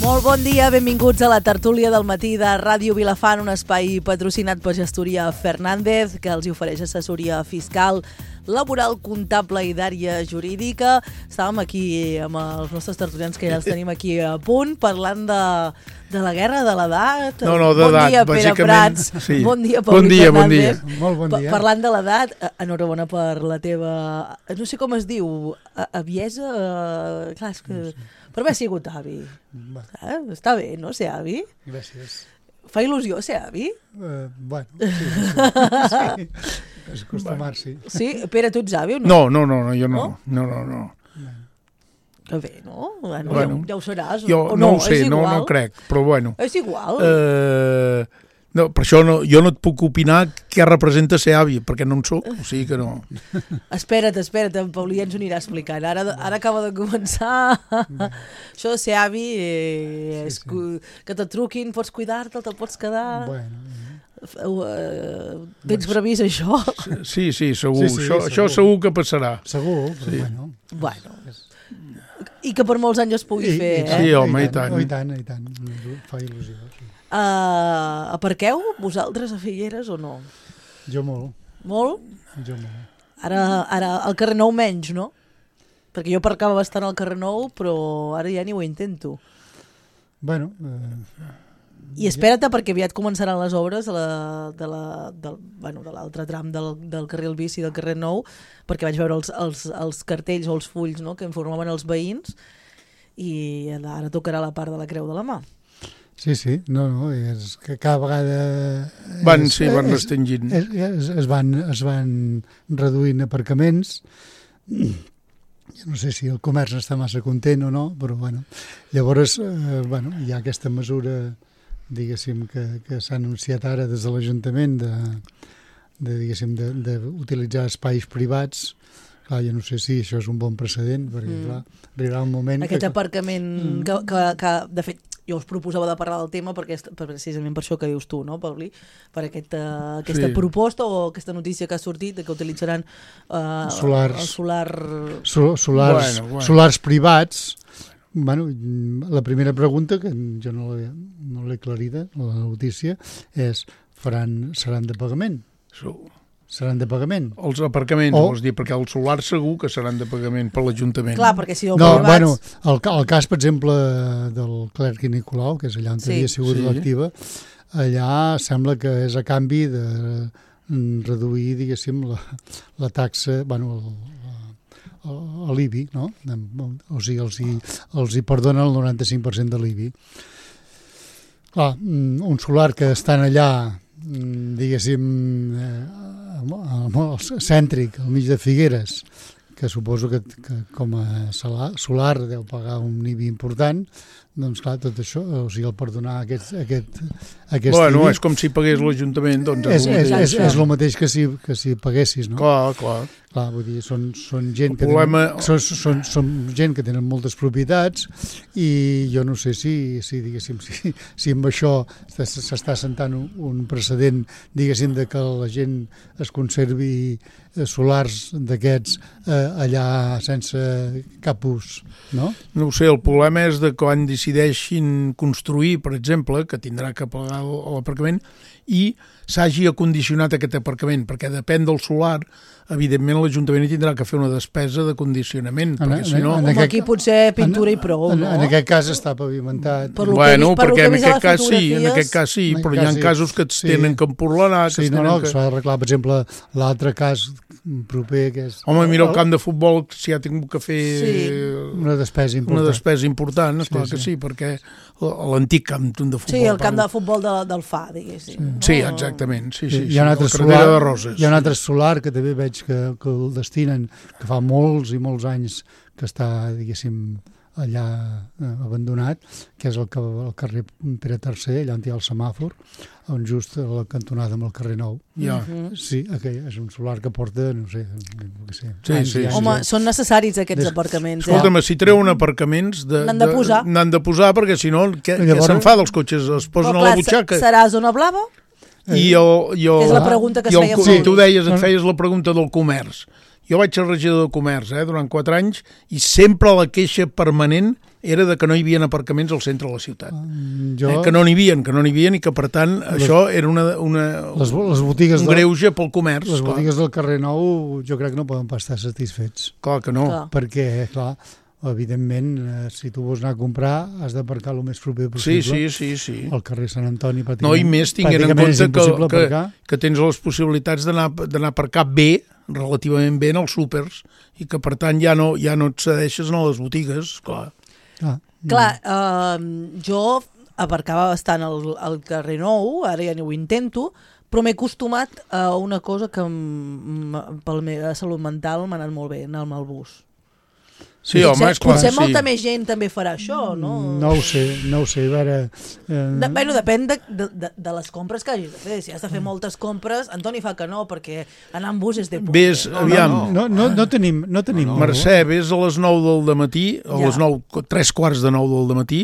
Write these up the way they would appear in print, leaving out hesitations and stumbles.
Molt bon dia, benvinguts a la tertúlia del matí de Ràdio Vilafant, un espai patrocinat per Gestoria Fernández, que els ofereix assessoria fiscal, laboral, comptable i d'àrea jurídica. Estàvem aquí amb els nostres tertulians, que ja els tenim aquí a punt, parlant de la guerra de l'edat. No, d'edat, bon dia, Pere Prats. Sí. Bon dia, Paulí Fernández. Molt bon dia. Parlant de l'edat, enhorabona per la teva... No sé com es diu, aviesa... Clar, és que... Per haver sigut avi. Està bé, no, ser avi? Gràcies. Fa il·lusió ser avi? Bueno, sí. És acostumar-s'hi. Sí? Pere, tu ets avi o no? No, jo no. No. Que bé, no? Bueno, ja ho seràs. Jo o no ho sé, és igual. no crec, però bueno. És igual. No, per això jo no et puc opinar què representa ser avi, perquè no en soc, o sigui que no. Espera't, en Paulí ja ens ho anirà explicant. Ara acaba de començar. Això de ser avi és que te truquin, pots cuidar-te, te'l pots quedar... Tens previst això? Sí, segur. Sí, això segur que passarà. Segur, però sí. Bueno. I que per molts anys es pugui fer, Sí, home, i tant. I tant. Fa il·lusió. Sí. Aparqueu vosaltres a Figueres o no? Jo molt. Molt? Jo molt. Ara al carrer Nou menys, no? Perquè jo aparcava bastant al carrer Nou, però ara ja ni ho intento. Bueno... I espera't, perquè aviat començaran les obres de l'altre tram del carril bici del carrer Nou, perquè vaig veure els cartells o els fulls, no?, que informaven els veïns, i ara tocarà la part de la Creu de la Mà. Sí, no, és que cada vegada... Van restringint. Es van reduint aparcaments. Jo no sé si el comerç està massa content o no, però bueno. Llavors, hi ha aquesta mesura, diguéssim, que s'ha anunciat ara des de l'Ajuntament d'utilitzar espais privats. Clar, jo no sé si això és un bon precedent, perquè clar, arribarà un moment... Aquest aparcament que de fet, jo us proposava de parlar del tema precisament per això que dius tu, no, Paulí? Per aquesta proposta o aquesta notícia que ha sortit que utilitzaran solars privats. Bueno, la primera pregunta, que jo no l'he aclarida, la notícia, és seran de pagament? Seran de pagament? Els aparcaments, vols dir, perquè els solars segur que seran de pagament per l'Ajuntament. Clar, perquè si privats... el cas, per exemple, del Clerc i Nicolau, que és allà on havia sigut l'activa, allà sembla que és a canvi de reduir, diguéssim, la taxa, l'IBI, no? O sigui, els hi perdonen el 95% de l'IBI. Clar, un solar que estan allà, diguéssim, cèntric, al mig de Figueres, que suposo que com a solar deu pagar un IBI important, doncs clar, tot això, o sigui, el perdonar aquest bueno, IBI... és com si pagués l'Ajuntament, doncs és el mateix que si paguessis, no? Clar. Clar, vull dir, són gent són gent que tenen moltes propietats i jo no sé si amb això s'està sentant un precedent, diguéssim, de que la gent es conservi solars d'aquests allà sense cap ús, no? No ho sé, el problema és de quan decideixin construir, per exemple, que tindrà que pagar l'aparcament, i s'hagi acondicionat aquest aparcament, perquè depèn del solar, evidentment l'Ajuntament hi tindrà que fer una despesa de condicionament, perquè si no... Aquí potser pintura i prou, no? En aquest cas està pavimentat. Perquè en aquest cas sí, però hi ha casos que es tenen que empurlar. Sí, que s'ha d'arreglar, per exemple, l'altre cas proper que és... Home, mira el camp de futbol, si ha tingut que fer una despesa important. Esclar que sí, perquè l'antic camp de futbol... Sí, el camp de futbol del FA, diguéssim. Sí, exactament. Hi ha un altre solar que també veig que el destinen, que fa molts i molts anys que està, diguéssim, allà abandonat, que és el carrer Pere III, allà on hi ha el semàfor, on just a la cantonada amb el carrer Nou. Sí, és un solar que porta, no sé... Sí. Home, són necessaris aquests aparcaments. Escolta'm, si treuen aparcaments... N'han de posar, perquè si no, què se'n fa dels cotxes? Es posen a la butxaca. Serà zona blava? És la pregunta que es feia. Sí, tu deies, et feies la pregunta del comerç. Jo vaig ser regidor de comerç durant 4 anys i sempre la queixa permanent era de que no hi havia aparcaments al centre de la ciutat. Que no n'hi havia i que, per tant, això era les botigues un greuge pel comerç. Les botigues del carrer Nou jo crec que no poden pas estar satisfets. Clar que no. Perquè, clar, evidentment, si tu vols anar a comprar, has d'aparcar el més proper possible. Sí. Al carrer Sant Antoni, no, i més tinguent en compte que tens les possibilitats d'anar a aparcar bé, relativament bé, en els súpers, i que, per tant, ja no et cedeixes a les botigues, clar. Clar, jo aparcava bastant al carrer Nou, ara ja no ho intento, però m'he acostumat a una cosa que per la meva salut mental m'ha anat molt bé, anar amb el bus. Sí, home, és clar. Potser molta més gent també farà això, no? No ho sé, a veure... Depèn de les compres que hagis de fer. Si has de fer moltes compres, Antoni fa que no, perquè anar amb bus és de por. Vés, aviam... No tenim... Mercè, vés a les 9 del dematí, a les 9, 3:15 del dematí,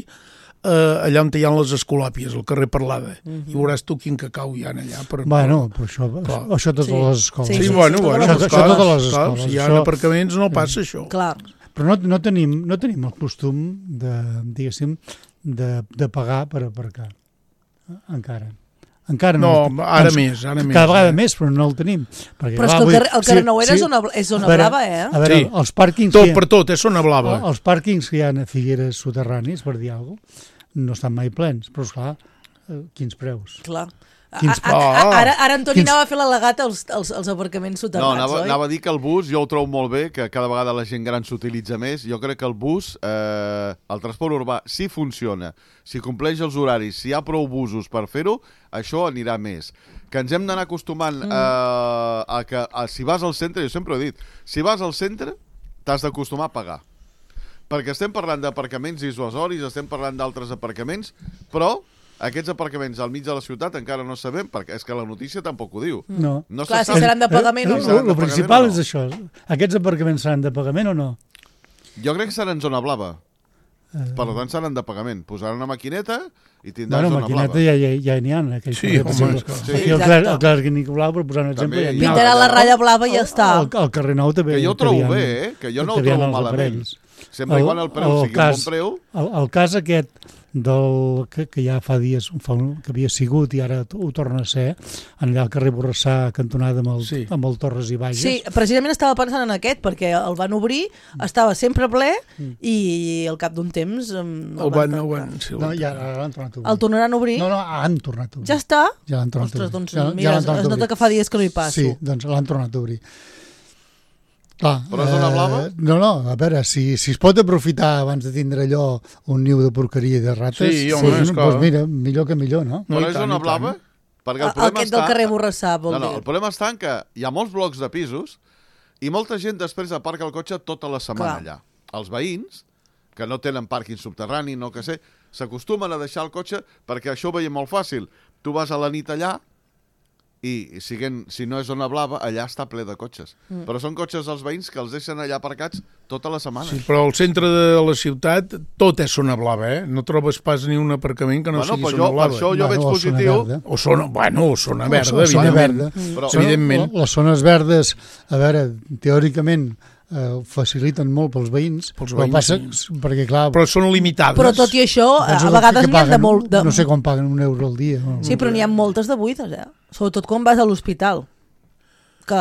allà on hi ha les escolàpies, al carrer Parlada, i veuràs tu quin cacau hi ha allà. Bueno, però això totes les escoles. Sí, bueno, això totes les escoles. Si hi ha aparcaments no passa això. Clar. Però no tenim el costum diguéssim, de pagar per aparcar. Encara no. Ara més. Cada vegada més, però no el tenim. Perquè, però és que el carrer Nou és zona blava, eh? A veure, els pàrquings... Tot per tot, és zona blava. Els pàrquings que hi ha a Figueres soterranis, per dir alguna cosa, no estan mai plens, però esclar, quins preus. Clar. Ara Antoni anava a fer l'al·legat als aparcaments soterrats, oi? Anava a dir que el bus jo ho trobo molt bé, que cada vegada la gent gran s'utilitza més. Jo crec que el bus, el transport urbà, si funciona, si compleix els horaris, si hi ha prou busos per fer-ho, això anirà més. Que ens hem d'anar acostumant a que si vas al centre, jo sempre ho he dit, si vas al centre t'has d'acostumar a pagar. Perquè estem parlant d'aparcaments dissuasoris, estem parlant d'altres aparcaments, però aquests aparcaments al mig de la ciutat encara no sabem, perquè és que la notícia tampoc ho diu. No. Clar, si seran de pagament o no. El principal és això. Aquests aparcaments seran de pagament o no? Jo crec que seran zona blava. Per tant, seran de pagament. Posaran una maquineta i tindran zona blava. Maquineta ja n'hi ha. Sí, home, el Clàssic Nicolau, per posar un exemple... Pintarà la ratlla blava i ja està. El carrer Nou també... Que jo ho trobo bé, que jo no ho trobo malament. Sempre quan el preu sigui un bon preu... El cas aquest que ja fa dies que havia sigut i ara ho torna a ser, allà al carrer Borrassà, cantonada amb el Torres i Bages. Sí, precisament estava pensant en aquest, perquè el van obrir, estava sempre ple i al cap d'un temps... No, ja l'han tornat a obrir. El tornaran a obrir? No, han tornat a obrir. Ja està? Ja l'han tornat a obrir. Ostres, doncs mira, es nota que fa dies que no hi passo. Sí, doncs l'han tornat a obrir. Clar, però és zona blava? No, a veure, si es pot aprofitar abans de tindre allò un niu de porqueria i de rates, doncs mira, millor que millor, no? Però és zona blava? Perquè aquest del carrer Borrassà, vol dir. No, el problema està en que hi ha molts blocs de pisos i molta gent després aparca el cotxe tota la setmana allà. Els veïns, que no tenen pàrquing subterrani, no que sé, s'acostumen a deixar el cotxe perquè això ho veiem molt fàcil. Tu vas a la nit allà i si no és zona blava, allà està ple de cotxes. Però són cotxes dels veïns que els deixen allà aparcats tota la setmana. Sí, però al centre de la ciutat tot és zona blava, eh? No trobes pas ni un aparcament que no sigui zona blava. Per això jo veig positiu... O zona verda, evidentment. Evidentment. Les zones verdes, a veure, teòricament, faciliten molt pels veïns, perquè clar... Però són limitades. Però tot i això, a vegades n'hi ha de molt... No sé com paguen €1 al dia. Sí, però n'hi ha moltes de buides, sobretot quan vas a l'hospital.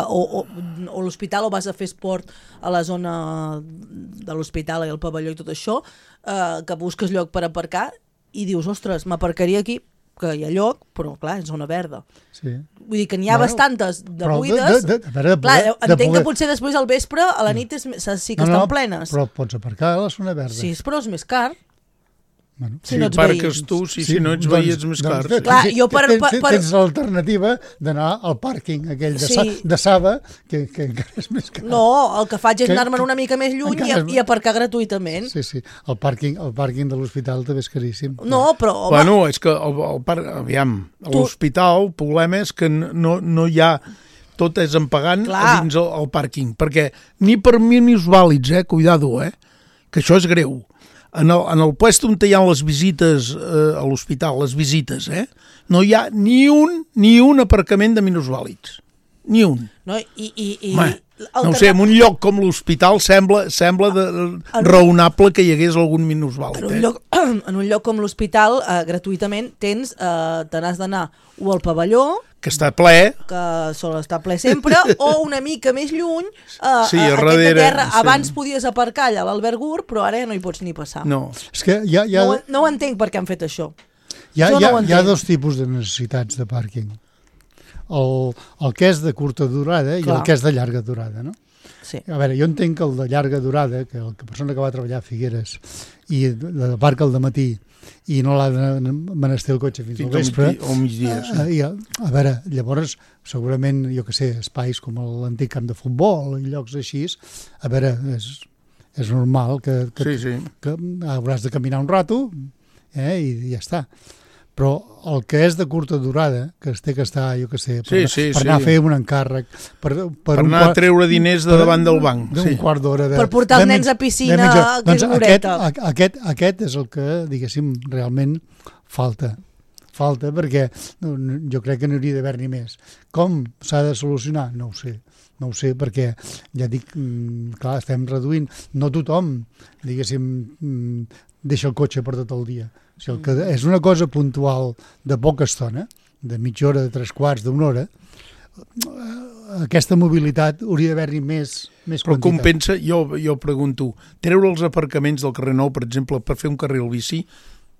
O l'hospital, o vas a fer esport a la zona de l'hospital i el pavelló i tot això, que busques lloc per aparcar i dius, ostres, m'aparcaria aquí, que hi ha lloc, però clar, és zona verda. Sí. Vull dir que n'hi ha bastantes de buides. Entenc que potser després al vespre, a la nit sí que estan plenes. Però pots aparcar a la zona verda. Sí, però és més car. Si no ets parques tu, si no ets veí ets més car. Tens l'alternativa d'anar al pàrquing aquell de Saba, que encara és més car. No, el que faig és anar-me'n una mica més lluny i aparcar gratuïtament. Sí, el pàrquing de l'hospital també és caríssim. No, però... Bueno, és que aviam, a l'hospital el problema és que no hi ha... Tot és en pagant dins el pàrquing, perquè ni per minusvàlids, cuidado, que això és greu. En el puesto on hi ha les visites a l'hospital, les visites, no hi ha ni un aparcament de minusvàlids. Ni un. No, i No sé, en un lloc com l'hospital sembla raonable que hi hagués algun minusvàlid. En un lloc com l'hospital, gratuïtament, te n'has d'anar o al pavelló, que està ple, que sol estar ple sempre, o una mica més lluny, sí, a darrere, terra. sí. Abans podies aparcar allà a l'Albert Gur, però ara no hi pots ni passar. No. És que No ho entenc per què han fet això. Hi ha dos tipus de necessitats de pàrquing. El que és de curta durada i el que és de llarga durada, no? Sí. A veure, jo entenc que el de llarga durada, que la persona que va treballar a Figueres i aparca al dematí i no l'ha de menester el cotxe fins al vespre, o migdia, sí. A veure, llavors, segurament, jo que sé, espais com l'antic camp de futbol i llocs així, a veure, és normal que hauràs de caminar un rato i ja està. Però el que és de curta durada, que es té que estar, jo que sé, per anar a fer un encàrrec, per anar a treure diners de davant del banc. D'un quart d'hora. Per portar els nens a piscina, que és horeta. Aquest és el que, diguéssim, realment falta. Falta perquè jo crec que n'hauria d'haver-n'hi més. Com s'ha de solucionar? No ho sé, perquè ja dic, clar, estem reduint. No tothom, diguéssim, deixa el cotxe per tot el dia. Si el que és una cosa puntual de poca estona, de mitja hora, de 3/4, d'una hora, aquesta mobilitat hauria d'haver-hi més quantitat. Però compensa, jo pregunto, treure els aparcaments del carrer Nou, per exemple, per fer un carril bici,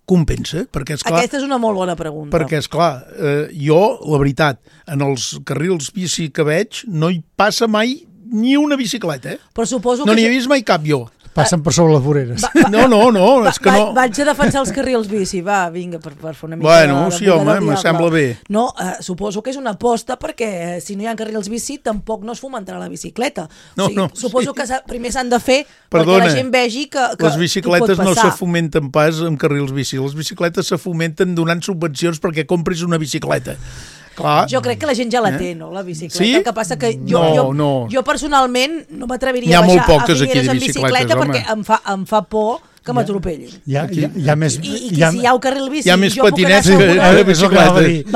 compensa? Perquè, esclar, aquesta és una molt bona pregunta. Perquè, esclar, jo, la veritat, en els carrils bici que veig, no hi passa mai ni una bicicleta, Però suposo no n'hi he vist mai cap jo. Passen per sobre les voreres. No, és que no... Vaig a defensar els carrils bici, vinga, per fer una mica Bueno, sí, home, me sembla bé. No, suposo que és una aposta perquè si no hi ha carrils bici tampoc no es fomentarà la bicicleta. Suposo que primer s'han de fer perquè la gent vegi que les bicicletes no se fomenten pas amb carrils bici. Les bicicletes se fomenten donant subvencions perquè compris una bicicleta. Clar. Jo crec que la gent ja la té, no, la bicicleta. Sí? El que passa que jo personalment no m'atreviria a baixar a Figueres en bicicleta perquè em fa por que m'atropellin. Hi ha més... I si hi ha un carril bici... Hi ha més patinets que bicicletes.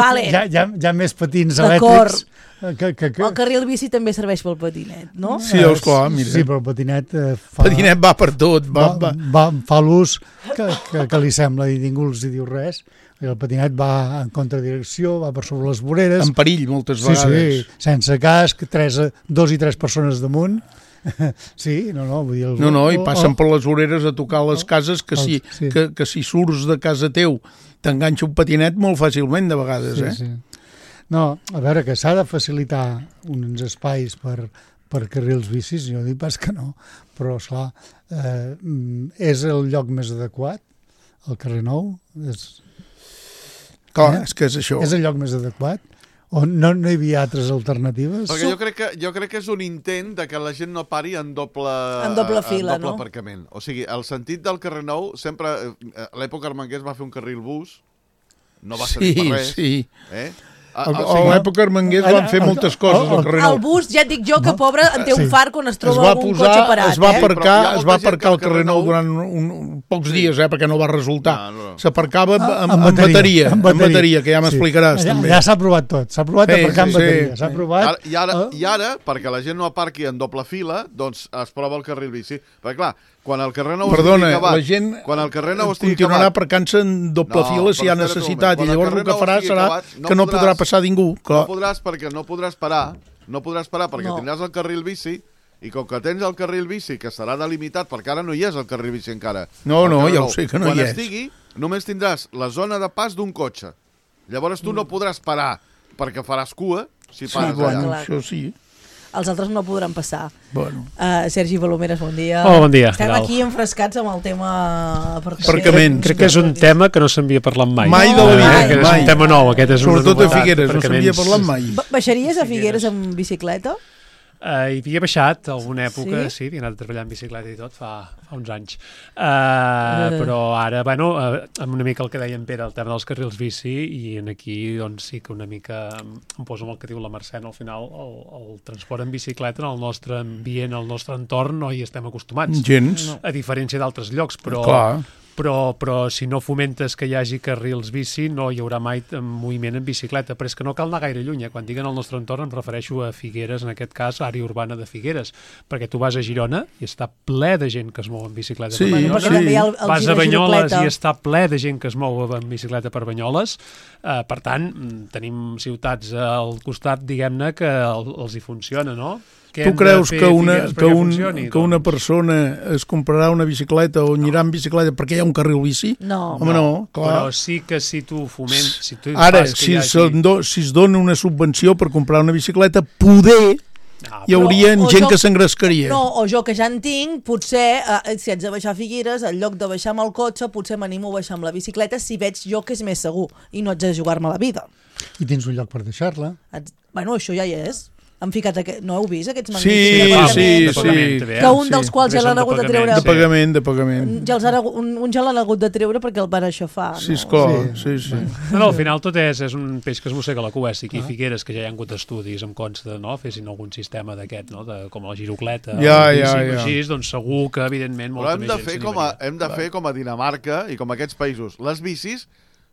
Hi ha més patins elèctrics... El carril bici també serveix pel patinet, no? Sí, esclar, mira. Sí, però el patinet patinet va per tot. Fa l'ús que li sembla i ningú els diu res. El patinet va en contradirecció, va per sobre les voreres. En perill, moltes vegades. Sí, sense casc, 2 i 3 persones damunt. Sí, vull dir... I passen per les voreres a tocar les cases que si surts de casa teu t'enganxa un patinet molt fàcilment, de vegades, Sí. No, a veure, que s'ha de facilitar uns espais per carrils bicis, jo dic pas que no, però, esclar, és el lloc més adequat, el carrer Nou? Clar, és que és això. És el lloc més adequat? O no hi havia altres alternatives? Perquè jo crec que és un intent de que la gent no pari en doble fila, en doble aparcament. O sigui, el sentit del carrer Nou, sempre, a l'època Armengués va fer un carril bus, no va servir per res. Sí. A l'època Armengués van fer moltes coses al carrer Nou. El bus, ja et dic jo, que pobre en té un far quan es troba algun cotxe parat. Es va aparcar al carrer Nou durant pocs dies, perquè no va resultar. S'aparcava amb bateria, que ja m'explicaràs també. Ja s'ha provat tot, s'ha provat aparcar amb bateria. S'ha provat... I ara, perquè la gent no aparqui en doble fila, doncs es prova el carril bici. Perquè clar, quan el carrer Nou estigui acabat... la gent continuarà aparcant-se en doble fila si hi ha necessitat, i llavors el que farà serà que no podrà passar ningú. No podràs parar perquè tindràs el carril bici, i com que tens el carril bici, que serà delimitat, perquè ara no hi és el carril bici encara. No, ja ho sé que no hi és. Quan estigui, només tindràs la zona de pas d'un cotxe. Llavors tu no podràs parar, perquè faràs cua si pares allà. Això sí. Els altres no podran passar. Sergi Palomeres, bon dia. Bon dia. Estem aquí enfrescats amb el tema aparcaments. Crec que és un tema que no s'havia parlat mai. Mai de la vida. És un tema nou. Sobretot a Figueres, no s'havia parlat mai. Baixaries a Figueres amb bicicleta? Hi havia baixat alguna època, sí, havia anat a treballar en bicicleta i tot fa uns anys, però ara, amb una mica el que deia en Pere, el tema dels carrils bici, i aquí doncs sí que una mica em poso amb el que diu la Mercè, al final el transport en bicicleta en el nostre ambient, el nostre entorn no hi estem acostumats, gens, a diferència d'altres llocs, però però si no fomentes que hi hagi carrils bici no hi haurà mai moviment en bicicleta, però és que no cal anar gaire lluny, quan diguen al nostre entorn em refereixo a Figueres, en aquest cas àrea urbana de Figueres, perquè tu vas a Girona i està ple de gent que es mou en bicicleta per Banyoles, vas a Banyoles i està ple de gent que es mou en bicicleta per Banyoles, per tant tenim ciutats al costat, diguem-ne, que els hi funciona, no? Tu creus que una persona es comprarà una bicicleta o anirà en bicicleta perquè hi ha un carril bici? No. Home, no, clar. Però sí que si tu fomentes... Ara, si es dona una subvenció per comprar una bicicleta, poder hi hauria gent que s'engrescaria. No, o jo que ja en tinc, potser, si haig de baixar a Figueres, en lloc de baixar amb el cotxe, potser m'animo a baixar amb la bicicleta si veig jo que és més segur i no haig de jugar-me la vida. I tens un lloc per deixar-la. Bueno, això ja hi és. Han ficat no heu vist aquests magnífics sí. Que un dels quals ja l'han hagut de treure. De pagament. Un ja l'han hagut de treure perquè el van aixafar. Sí, esclar. Sí. No, al final tot és un peix que es mossega la cua. Si aquí Figueres, que ja hi ha hagut estudis, em consta, no? Fessin algun sistema d'aquest, no? Com la girocleta, així, doncs segur que, evidentment, molta més gent s'animaria. Hem de fer com a Dinamarca i com a aquests països. Les bicis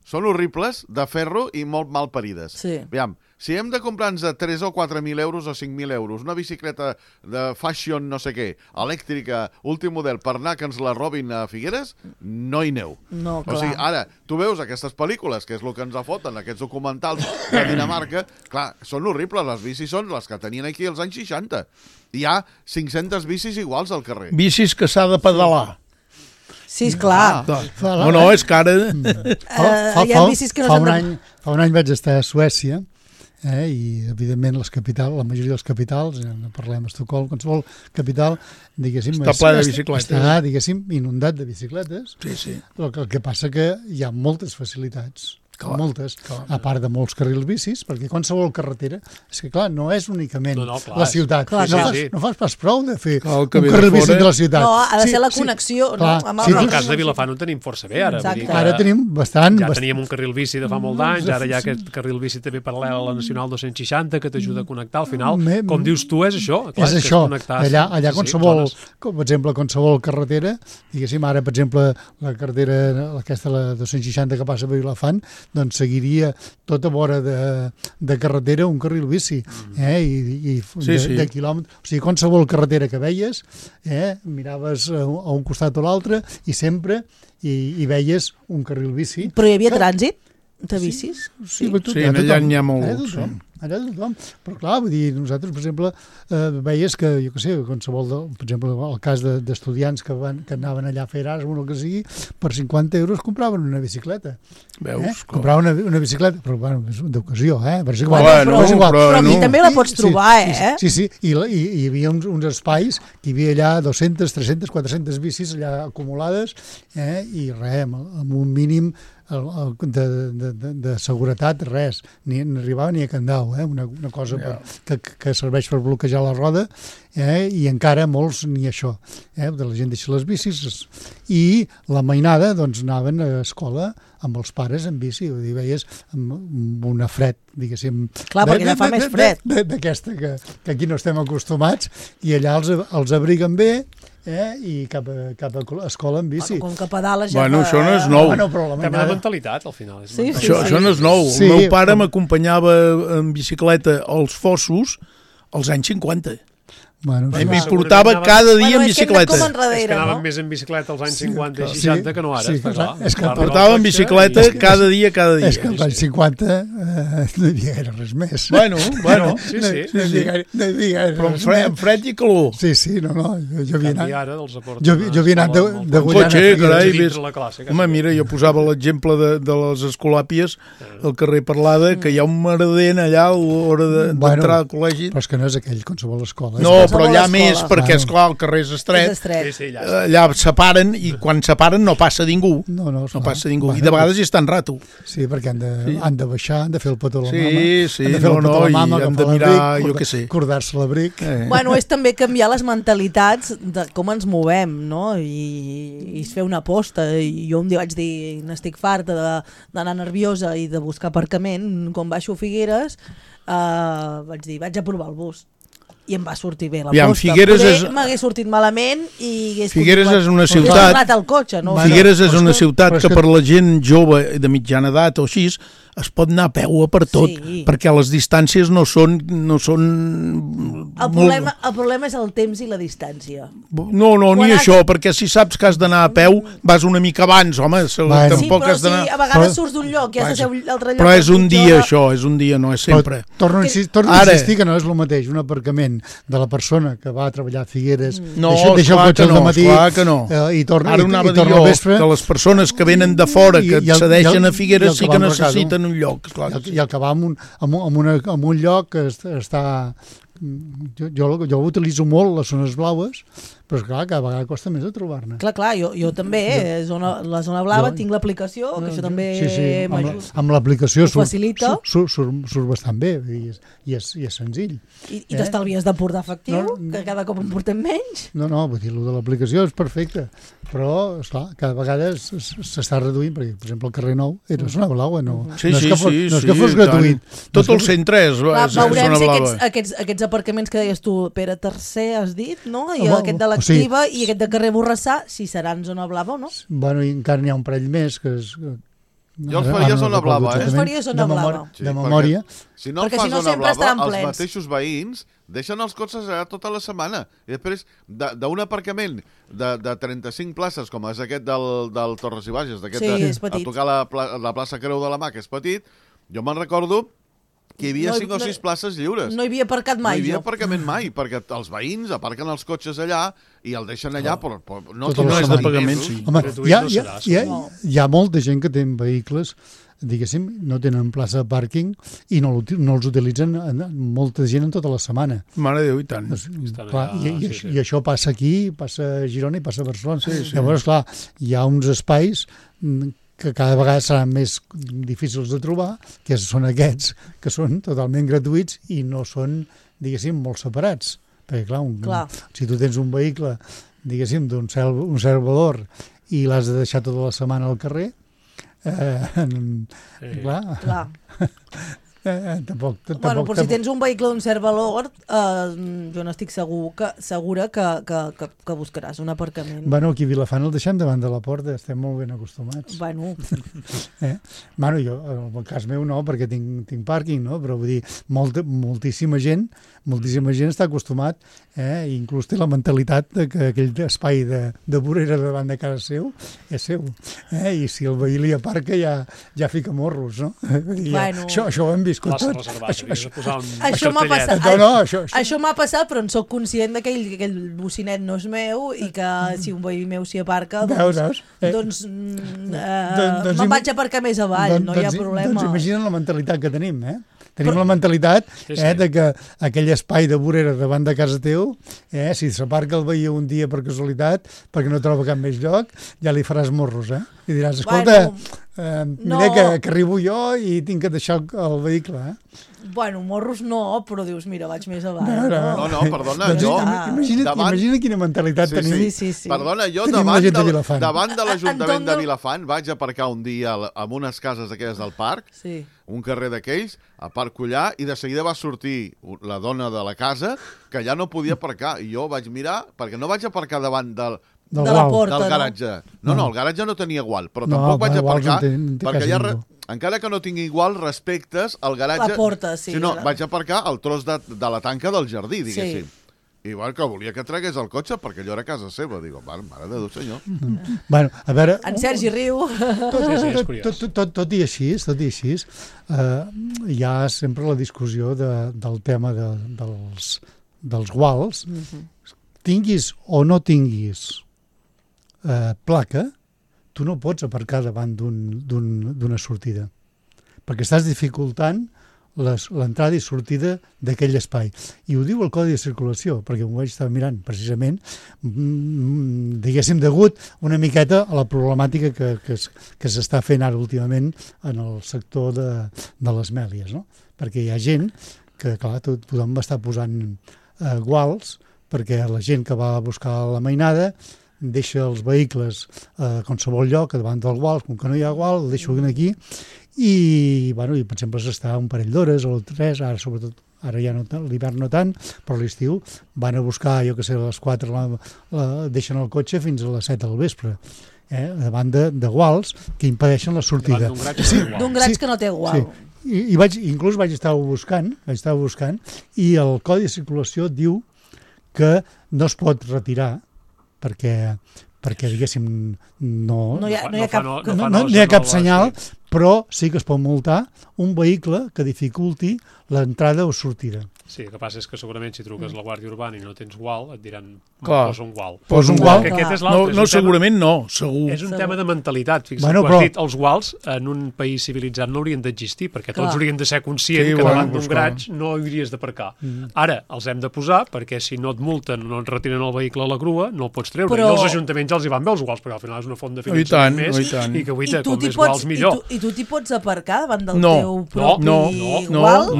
són horribles, de ferro i molt mal parides. Sí. Aviam, si hem de comprar-nos de 3 o 4.000 euros o 5.000 euros una bicicleta de fashion no sé què, elèctrica, últim model, per anar que ens la robin a Figueres, no hi aneu. No, clar. O sigui, ara, tu veus aquestes pel·lícules, que és el que ens foten, aquests documentals de Dinamarca, clar, són horribles, les bicis són les que tenien aquí als anys 60. Hi ha 500 bicis iguals al carrer. Bicis que s'ha de pedalar. Sí, esclar. No, és que ara... Hi ha bicis que no s'han de... Fa un any vaig estar a Suècia i, evidentment, la majoria dels capitals, no parlem Estocolm, qualsevol capital, diguéssim... Està ple de bicicletes. Està, diguéssim, inundat de bicicletes. Sí. El que passa que hi ha moltes facilitats. Moltes, a part de molts carrils bicis, perquè qualsevol carretera, és que clar, no és únicament la ciutat. No fas pas prou de fer un carril bici de la ciutat. No, ha de ser la connexió. En el cas de Vilafant ho tenim força bé, ara. Ara tenim bastant... Ja teníem un carril bici de fa molt d'anys, ara hi ha aquest carril bici també paral·lel a la Nacional 260 que t'ajuda a connectar. Al final, com dius tu, és això. És això. Allà qualsevol, per exemple, qualsevol carretera, diguéssim, ara, per exemple, la carretera, aquesta, la 260 que passa per Vilafant, doncs seguiria tota vora de carretera un carril bici de quilòmetres. O sigui, qualsevol carretera que veies, miraves a un costat o l'altre i sempre hi veies un carril bici. Però hi havia trànsit de bicis? Sí, allà n'hi ha molts. Allà tothom. Però clar, vull dir, nosaltres, per exemple, veies que, jo què sé, qualsevol, per exemple, el cas d'estudiants que anaven allà a fer Erasmus o el que sigui, per 50 euros compraven una bicicleta. Veus? Compraven una bicicleta, però bueno, és d'ocasió, Però aquí també la pots trobar, Sí, i hi havia uns espais que hi havia allà 200, 300, 400 bicis allà acumulades, i res, amb un mínim de seguretat, res, ni arribava ni a Candau, una cosa que serveix per bloquejar la roda, i encara molts ni això, de la gent deixa les bicis, i la mainada doncs anaven a escola amb els pares en bici, vull dir, veies amb una fred, diguéssim... Clar, perquè allà fa més fred. D'aquesta que aquí no estem acostumats, i allà els abriguen bé, i cap a escola en bici. Com que pedales ja Bueno, això no és nou. També la mentalitat, al final. Això no és nou. El meu pare m'acompanyava en bicicleta als Fossos als anys 50. I m'hi portava cada dia en bicicleta. És que anàvem més en bicicleta als anys 50 i 60 que no ara. És que portava en bicicleta cada dia. És que als anys 50 no hi havia gaire res més. Bueno. No hi havia però en fred i calor. Sí, no. Jo havia anat de Guanyana. Home, mira, jo posava l'exemple de les Escolàpies al carrer Parlada, que hi ha un merdent allà a l'hora d'entrar al col·legi. Però és que no és aquell qualsevol escola. No, però allà més, perquè, esclar, el carrer és estret. Allà separen, i quan separen no passa ningú. No passa ningú. I de vegades hi està en rato. Sí, perquè han de baixar, han de fer el petó a la i mama. hem de mirar, jo què sé. Cordar-se l'abric. Bueno, és també canviar les mentalitats de com ens movem, no? I fer una aposta. I jo un dia vaig dir, n'estic farta d'anar nerviosa i de buscar aparcament. Quan baixo a Figueres, vaig dir, vaig a provar el bus. i em va sortir bé la Aviam, posta. M'hagués sortit malament i Figueres és una ciutat... tornat al cotxe, no? Figueres és una ciutat que per la gent jove de mitjana edat o així es pot anar a peu a per tot, perquè les distàncies no són... El problema és el temps i la distància. No, ni això, perquè si saps que has d'anar a peu, vas una mica abans, home, tampoc has d'anar... Sí, però si a vegades surts d'un lloc i has de ser un altre lloc... Però és un dia, això, és un dia, no és sempre. Torno a insistir que no és el mateix, un aparcament de la persona que va a treballar a Figueres, deixa el cotxe al matí i torna al vespre... Que les persones que venen de fora, que accedeixen a Figueres, sí que necessiten un lloc. I el que va en un lloc que està... Jo utilitzo molt les zones blaues, però és clar, cada vegada costa més de trobar-ne. Clar, jo també, la zona blava, tinc l'aplicació, que això també m'ajuda. Amb l'aplicació surt bastant bé i és senzill. I t'estalvies de portar efectiu, que cada cop en portem menys. No, vull dir, el de l'aplicació és perfecte, però, esclar, cada vegada s'està reduint, perquè, per exemple, el carrer Nou era zona blava, no és que fos gratuït. Tot el centre és zona blava. Veurem si aquests aparcaments que deies tu, Pere III, has dit, no? I aquest de l'Activa i aquest de carrer Borrassà, si seran zona blava o no? Bueno, i encara n'hi ha un parell més que és... Jo els faria zona blava, Jo els faria zona blava. De memòria. Si no el fa zona blava, els mateixos veïns deixen els cotxes allà tota la setmana. I després, d'un aparcament de 35 places, com és aquest del Torres i Bages, a tocar la plaça Creu de la Mà, que és petit, jo me'n recordo que hi havia 5 o 6 places lliures. No hi havia aparcat mai, No hi havia aparcament mai, perquè els veïns aparquen els cotxes allà i el deixen allà, però no és de pagament, sí. Home, hi ha molta gent que té vehicles, diguéssim, no tenen plaça de pàrquing i no els utilitzen molta gent en tota la setmana. Mare de Déu, i tant. I això passa aquí, passa a Girona i passa a Barcelona. Llavors, clar, hi ha uns espais que cada vegada seran més difícils de trobar, que són aquests, que són totalment gratuïts i no són, diguéssim, molt separats. Perquè, clar, si tu tens un vehicle, diguéssim, d'un cert valor i l'has de deixar tota la setmana al carrer, clar. Però si tens un vehicle d'un cert valor, jo n'estic segura que buscaràs un aparcament. Bueno, aquí a Vilafant el deixem davant de la porta, estem molt ben acostumats. Bueno, jo, en el cas meu no, perquè tinc pàrquing, no? Però vull dir, moltíssima gent està acostumat, inclús té la mentalitat que aquell espai de vorera davant de casa seu és seu, i si el veí li aparca ja fica morros, no? Això ho hem viscut tot. Això m'ha passat, però en soc conscient que aquell bocinet no és meu i que si un veí meu s'hi aparca, doncs me'n vaig aparcar més avall, no hi ha problema. Doncs imagina't la mentalitat que tenim, Tenim la mentalitat de que aquell espai de vorera davant de casa teu, si s'aparca el veí un dia per casualitat, perquè no troba cap més lloc, ja li faràs morros, I diràs, escolta, mira que arribo jo i tinc que deixar el vehicle, Bueno, morros no, però dius, mira, vaig més avall. No, perdona, jo... Imagina quina mentalitat tenim. Sí. Perdona, jo davant de l'Ajuntament de Vilafant vaig aparcar un dia en unes cases aquelles del parc, un carrer d'aquells, aparco allà i de seguida va sortir la dona de la casa que ja no podia aparcar. I jo vaig mirar, perquè no vaig aparcar davant del garatge. No, el garatge no tenia gual, però tampoc vaig aparcar perquè encara que no tingui igual, respectes al garatge... La porta, sí. No, vaig aparcar el tros de la tanca del jardí, diguéssim. I que volia que tragués el cotxe perquè allò era casa seva. Digo, mare de Déu, senyor. Bueno, a veure... En Sergi riu. Tot i així, hi ha sempre la discussió del tema dels guals. Tinguis o no tinguis placa, tu no pots aparcar davant d'una sortida, perquè estàs dificultant l'entrada i sortida d'aquell espai. I ho diu el Codi de Circulació, perquè ho vaig estar mirant precisament, diguéssim, degut una miqueta a la problemàtica que s'està fent ara últimament en el sector de les mèlies, no? Perquè hi ha gent que, clar, tothom va estar posant guals, perquè la gent que va a buscar la mainada deixa els vehicles a qualsevol lloc, davant del gual, com que no hi ha gual, el deixo aquí, i per exemple s'està un parell d'hores o 3, ara sobretot ara ja no, l'hivern no tant, però a l'estiu van a buscar, jo que sé, a les 4 deixen el cotxe fins a les 7 del vespre, davant de guals que impedeixen la sortida. D'un graig que no té gual. Sí. Inclús vaig estar buscant, i el Codi de Circulació diu que no es pot retirar perquè diguéssim, no hi ha cap senyal, però sí que es pot multar un vehicle que dificulti l'entrada o sortida. Sí, el que passa és que segurament si truques a la Guàrdia Urbana i no tens gual, et diran, posa un gual. Posa un gual. No, segurament no, segur. És un tema de mentalitat. Fixa't, has dit, els guals en un país civilitzat no haurien d'existir, perquè tots haurien de ser conscients que davant d'un graig no hauries d'aparcar. Ara, els hem de posar, perquè si no et multen, no et retiren el vehicle a la grua, no el pots treure. I els ajuntaments els hi van bé els guals, perquè al final és una font de finançament més, i que guaita, com més guals millor. I tu t'hi pots aparcar davant del teu propi gual?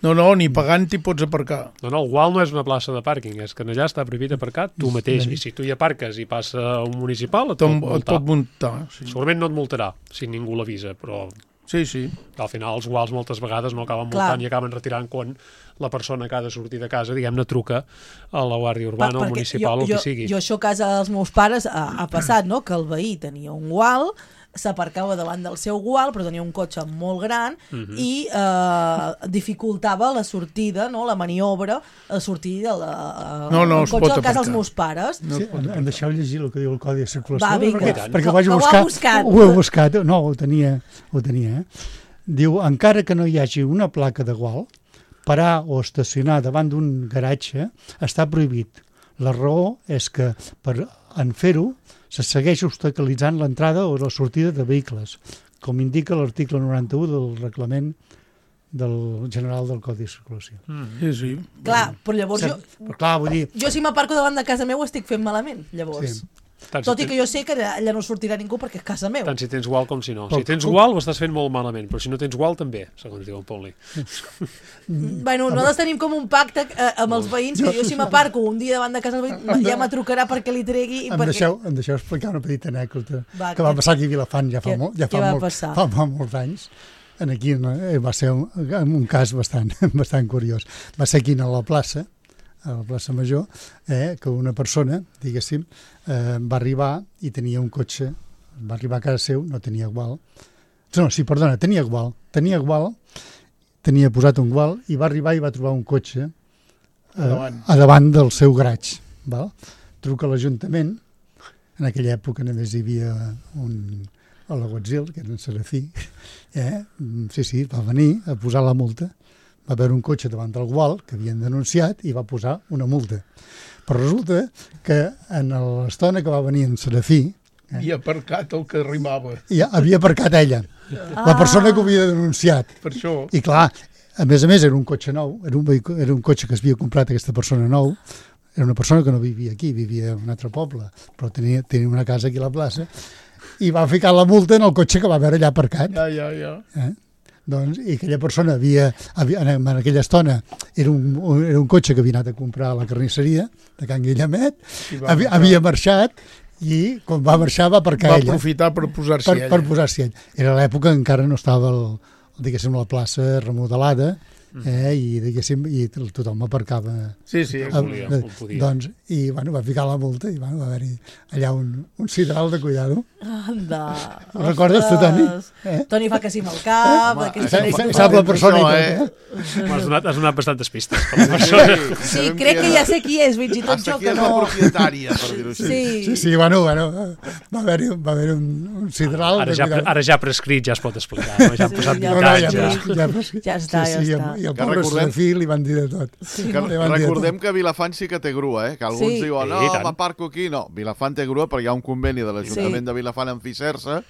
No, ni pagant t'hi pots aparcar. No, el gual no és una plaça de pàrquing, és que allà està prohibit aparcar tu mateix, i si tu hi aparques i passa un municipal, et pot multar. Segurament no et multarà, si ningú l'avisa, però... Sí. Al final els guals moltes vegades no acaben multant i acaben retirant quan la persona que ha de sortir de casa, diguem-ne, truca a la Guàrdia Urbana o municipal o el que sigui. Jo això a casa dels meus pares ha passat, no?, que el veí tenia un gual, s'aparcava davant del seu gual, però tenia un cotxe molt gran i dificultava la sortida, no?, la maniobra, a sortir del cotxe a casa dels meus pares. Em deixeu llegir el que diu el Codi de Circulació? Va, vinga. Perquè ho he buscat. No, ho tenia. Diu, encara que no hi hagi una placa de gual, parar o estacionar davant d'un garatge està prohibit. La raó és que en fer-ho se segueix obstaculitzant l'entrada o la sortida de vehicles, com indica l'article 91 del reglament del general del Codi de Circulació. Sí. Clar, però llavors jo si m'aparco davant de casa meu ho estic fent malament, llavors. Sí. Tot i que jo sé que allà no sortirà ningú perquè és casa meva. Tant si tens gual com si no. Si tens gual ho estàs fent molt malament, però si no tens gual també, segons diu el Poli. Bueno, nosaltres tenim com un pacte amb els veïns, que jo si m'aparco un dia davant de casa del veïn ja me trucarà perquè li tregui... Em deixeu explicar una petita anècdota que va passar aquí a Vilafant ja fa molts anys. Aquí va ser un cas bastant curiós. Va ser aquí a la plaça Major, que una persona, diguéssim, va arribar i tenia un cotxe, va arribar a casa seu, no tenia gual. Tenia gual, tenia posat un gual i va arribar i va trobar un cotxe a davant del seu garatge. Truca a l'Ajuntament, en aquella època només hi havia a l'Aguatzil, que era en Serafí, va venir a posar la multa. Va haver un cotxe davant del gual que havien denunciat i va posar una multa. Però resulta que en l'estona que va venir en Serafí... Havia aparcat el que arrimava. Havia aparcat ella, la persona que ho havia denunciat. Per això. I clar, a més era un cotxe nou, era un cotxe que s'havia comprat aquesta persona nou, era una persona que no vivia aquí, vivia en un altre poble, però tenia una casa aquí a la plaça, i va ficar la multa en el cotxe que va veure allà aparcat. Ja. Doncs, i aquella persona en aquella estona era un cotxe que havia anat a comprar a la carnisseria de Can Guillemet, havia marxat i quan va marxar va aparcar ella. Va aprofitar per posar-s'hi ella. Per posar-s'hi ella. Era l'època que encara no estava la plaça remodelada, i diguéssim, i tothom aparcava. Sí, doncs, i va ficar la multa i va haver-hi allà un sidral de cuidado. Anda. Ho recordes tu, Toni? Toni fa que sí amb el cap. Sap la persona i tot. Has donat bastantes pistes. Sí, crec que ja sé qui és, fins i tot jo que no. Hasta aquí és la propietària, per dir-ho així. Sí, bueno, va haver-hi un sidral. Ara ja prescrit, ja es pot explicar. Ja han passat 20 anys. Ja està. I el pobre Serafí li van dir de tot. Recordem que Vilafant sí que té grua, que alguns diuen, no, m'aparco aquí. No, Vilafant té grua perquè hi ha un conveni de l'Ajuntament de Vilafant amb Fisersa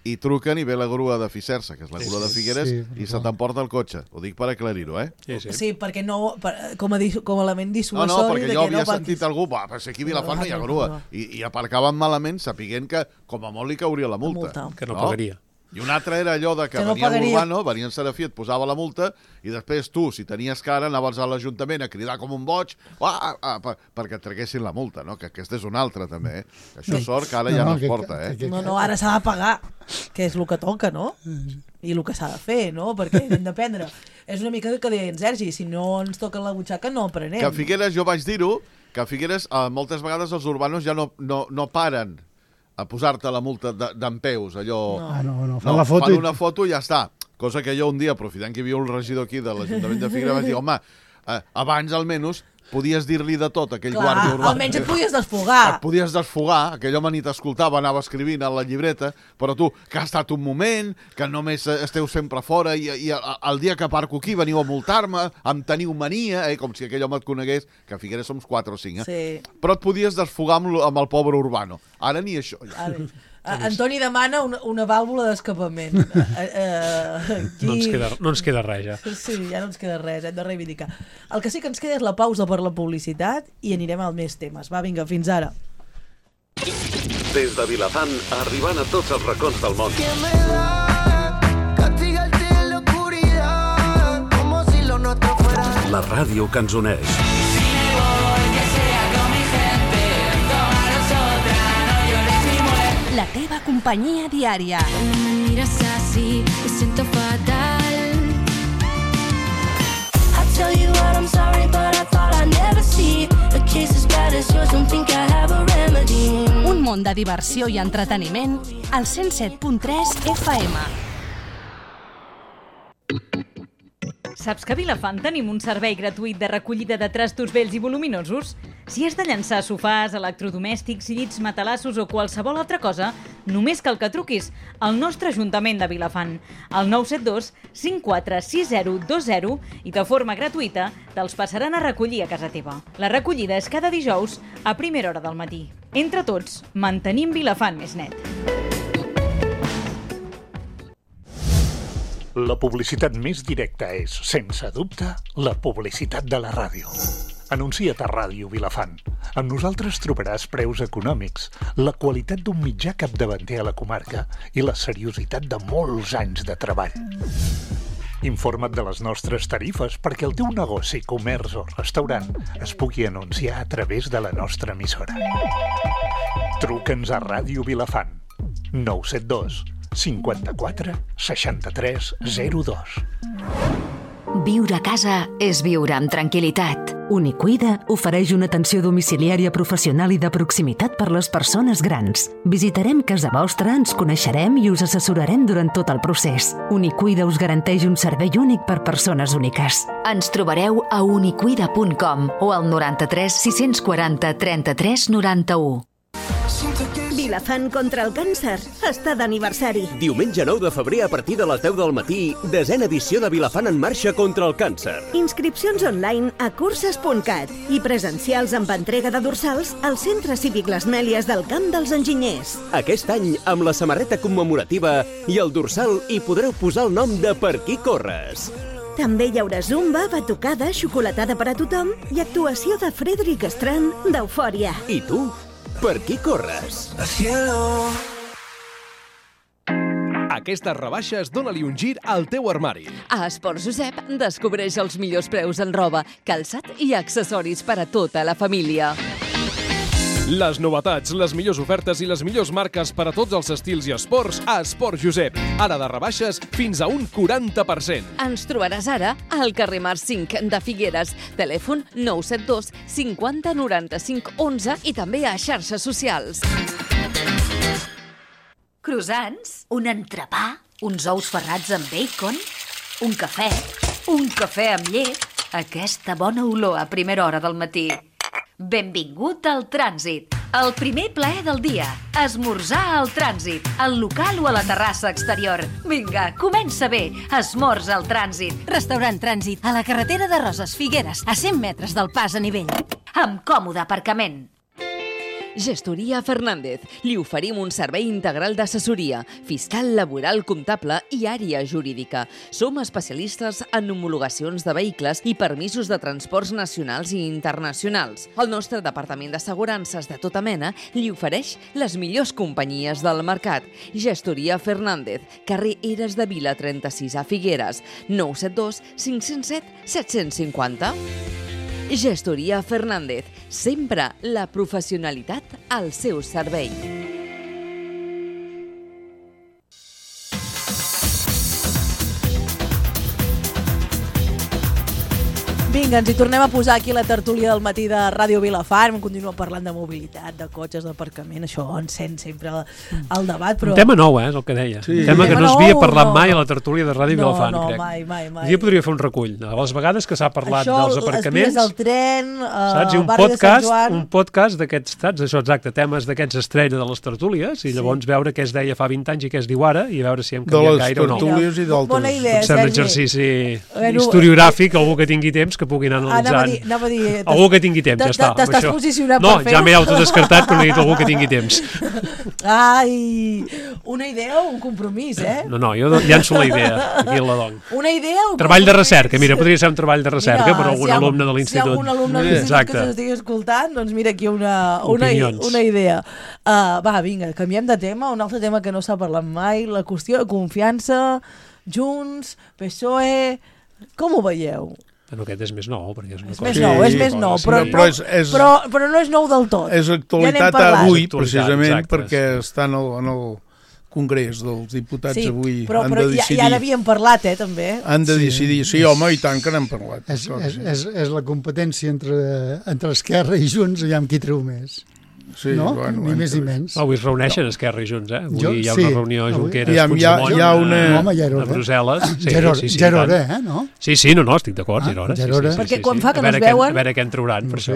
i truquen i ve la grua de Fisersa, que és la grua de Figueres, i se t'emporta el cotxe. Ho dic per aclarir-ho, Sí, perquè no, com a element dissuasori... No, perquè jo havia sentit algú, si aquí a Vilafant no hi ha grua, i aparcaven malament sapiguent que com a molt li cauria la multa. Que no pagaria. I un altre era allò de que venia l'Urbano, venia en Serafí, et posava la multa, i després tu, si tenies cara, anaves a l'Ajuntament a cridar com un boig perquè et treguessin la multa, no? Que aquesta és una altra, també, Això sort que ara ja no es porta, No, ara s'ha de pagar, que és el que toca, no? I el que s'ha de fer, no? Perquè hem d'aprendre. És una mica que deia en Sergi, si no ens toca la butxaca no aprenem. Que a Figueres, jo vaig dir-ho, que a Figueres moltes vegades els urbanos ja no paren a posar-te la multa d'empeus, allò... No, fan la foto fan una foto i ja està. Cosa que jo un dia, aprofitant que hi havia un regidor aquí de l'Ajuntament de Figueres, vaig dir, home, abans almenys podies dir-li de tot, aquell guàrdia urbà. Almenys et podies desfogar. Et podies desfogar, aquell home ni t'escoltava, anava escrivint a la llibreta, però tu, que ha estat un moment, que només esteu sempre fora i el dia que aparco aquí veniu a multar-me, em teniu mania, com si aquell home et conegués, que a Figueres som 4 o 5, Sí. Però et podies desfogar amb el pobre urbano. Ara ni això. Antoni demana una vàlvula d'escapament. No ens queda res, ja. Sí, ja no ens queda res, hem de reivindicar. El que sí que ens queda és la pausa per la publicitat i anirem al més temes. Va, vinga, fins ara. Des de Vilafant, arribant a tots els racons del món. La ràdio que ens uneix. La teva companyia diària. Me miras así, me siento fatal. I tell you what, I'm sorry, but I thought I'd never see a case as bad as yours, don't think I have a remedy. Un món de diversió i entreteniment al 107.3 FM. Saps que a Vilafant tenim un servei gratuït de recollida de trastos vells i voluminosos? Si has de llançar sofàs, electrodomèstics, llits, matalassos o qualsevol altra cosa, només cal que truquis al nostre Ajuntament de Vilafant, al 972 546020 i de forma gratuïta te'ls passaran a recollir a casa teva. La recollida és cada dijous a primera hora del matí. Entre tots, mantenim Vilafant més net. La publicitat més directa és, sense dubte, la publicitat de la ràdio. Anuncia't a Ràdio Vilafant. Amb nosaltres trobaràs preus econòmics, la qualitat d'un mitjà capdavanter a la comarca i la seriositat de molts anys de treball. Informa't de les nostres tarifes perquè el teu negoci, comerç o restaurant es pugui anunciar a través de la nostra emissora. Truca'ns a Ràdio Vilafant. 972 54 63 02. Viure a casa és viure amb tranquil·litat. Unicuida ofereix una atenció domiciliària professional i de proximitat per les persones grans. Visitarem casa vostra, ens coneixerem i us assessorarem durant tot el procés. Unicuida us garanteix un servei únic per persones úniques. Ens trobareu a unicuida.com o al 93 640 33 91. Vilafant contra el càncer està d'aniversari. Diumenge 9 de febrer a partir de les 10 del matí, 10ª edició de Vilafant en marxa contra el càncer. Inscripcions online a curses.cat i presencials amb entrega de dorsals al Centre Cívic Les Mèlies del Camp dels Enginyers. Aquest any, amb la samarreta commemorativa i el dorsal hi podreu posar el nom de Per qui corres. També hi haurà zumba, batucada, xocolatada per a tothom i actuació de Frederic Strand d'Eufòria. I tu? Per qui corres? Aquestes rebaixes dóna-li un gir al teu armari. A Esports Josep descobreix els millors preus en roba, calçat i accessoris per a tota la família. Les novetats, les millors ofertes i les millors marques per a tots els estils i esports a Esports Josep. Ara de rebaixes fins a un 40%. Ens trobaràs ara al carrer Mar 5 de Figueres, telèfon 972 50 95 11 i també a xarxes socials. Croissants, un entrepà, uns ous ferrats amb bacon, un cafè amb llet, aquesta bona olor a primera hora del matí. Benvingut al Trànsit, el primer plaer del dia. Esmorzar al Trànsit, al local o a la terrassa exterior. Vinga, comença bé, esmorza al Trànsit. Restaurant Trànsit, a la carretera de Roses, Figueres, a 100 metres del pas a nivell. Amb còmode aparcament. Gestoria Fernández. Li oferim un servei integral d'assessoria, fiscal, laboral, comptable i àrea jurídica. Som especialistes en homologacions de vehicles i permisos de transports nacionals i internacionals. El nostre departament d'assegurances de tota mena li ofereix les millors companyies del mercat. Gestoria Fernández, carrer Eres de Vila 36 a Figueres, 972 507 750. Gestoria Fernández, sempre la professionalitat al seu servei. Vinga, ens hi tornem a posar aquí la tertúlia del matí de Ràdio Vilafant. Continuem parlant de mobilitat, de cotxes, d'aparcament. Això encén sempre el debat. Però... Un tema nou, és el que deia. Sí. Un tema que no s'havia parlat mai a la tertúlia de Ràdio Vilafant, crec. No, mai. Un dia podria fer un recull. A les vegades que s'ha parlat dels aparcaments... Això, les vies del tren, saps? barri de Sant Joan... Un podcast d'aquests, saps? Això exacte, temes d'aquests estrella de les tertúlies, i llavors veure què es deia fa 20 anys i què es diu ara, i veure si hem canviat gaire o no. De les tertúlies i d'altres. Bona idea, Sergi. Un exercici historiogràfic, algú que tingui temps, que puguin analitzar. Anava a dir, algú que tingui temps, ja està. T'estàs posicionant per fer-ho? No, ja m'he autodescartat, però he dit algú que tingui temps. Ai, una idea o un compromís, eh? No, jo llanço la idea, aquí la dono. Una idea o un treball de recerca, mira, podria ser un treball de recerca per algun alumne de l'institut. Si hi ha algun alumne de l'institut que s'estigui escoltant, doncs mira aquí una idea. Va, vinga, canviem de tema, un altre tema que no s'ha parlat mai, la qüestió de confiança, Junts, PSOE, com ho veieu? Bueno, aquest és més nou, perquè és una cosa... És més nou, però no és nou del tot. És actualitat avui, precisament, perquè està en el Congrés dels Diputats avui. Però ja n'havíem parlat, també. Han de decidir, sí, home, i tant que n'hem parlat. És la competència entre Esquerra i Junts, aviam qui treu més. Sí, no? Bueno, ni més ni menys. Avui es reuneixen Esquerra i Junts, eh? Avui hi ha una reunió a Junqueras-Puigdemont a Brussel·les. Ja era hora, no? Sí, no, estic d'acord, ja era hora. Perquè quan fa que no es veuen... A veure què en trauran, per això.